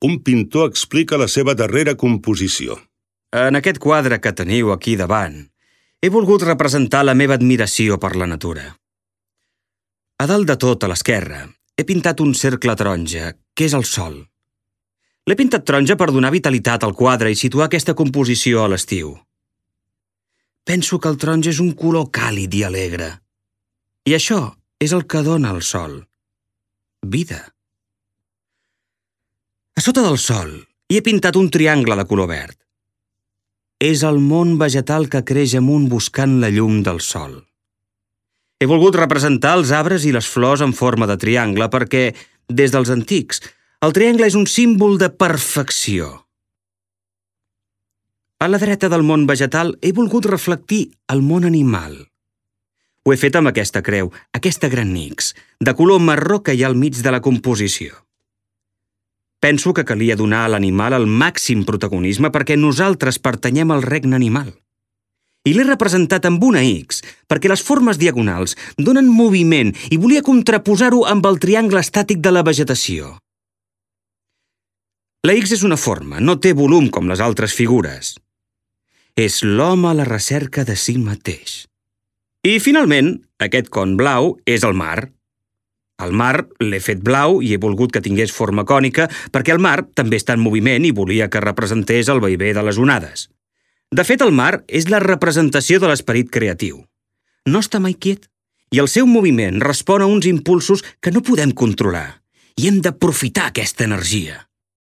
un pintor explica la seva darrera composició. En aquest quadre que teniu aquí davant, he volgut representar la meva admiració per la natura. A dalt de tot, a l'esquerra, he pintat un cercle taronja, que és el sol. L'he pintat taronja per donar vitalitat al quadre i situar aquesta composició a l'estiu. Penso que el taronja és un color càlid i alegre. I això és el que dona el sol. Vida. A sota del sol hi he pintat un triangle de color verd. És el món vegetal que creix amunt buscant la llum del sol. He volgut representar els arbres i les flors en forma de triangle perquè, des dels antics, el triangle és un símbol de perfecció. A la dreta del món vegetal he volgut reflectir el món animal. Ho he fet amb aquesta creu, aquesta gran nix, de color marró que hi ha al mig de la composició. Penso que calia donar a l'animal el màxim protagonisme perquè nosaltres pertanyem al regne animal. I l'he representat amb una X, perquè les formes diagonals donen moviment i volia contraposar-ho amb el triangle estàtic de la vegetació. La X és una forma, no té volum com les altres figures. És l'home a la recerca de si mateix. I, finalment, aquest con blau és el mar. El mar l'he fet blau i he volgut que tingués forma cònica perquè el mar també està en moviment i volia que representés el vaivé de les onades. De fet, el mar és la representació de l'esperit creatiu. No està mai quiet i el seu moviment respon a uns impulsos que no podem controlar i hem d'aprofitar aquesta energia.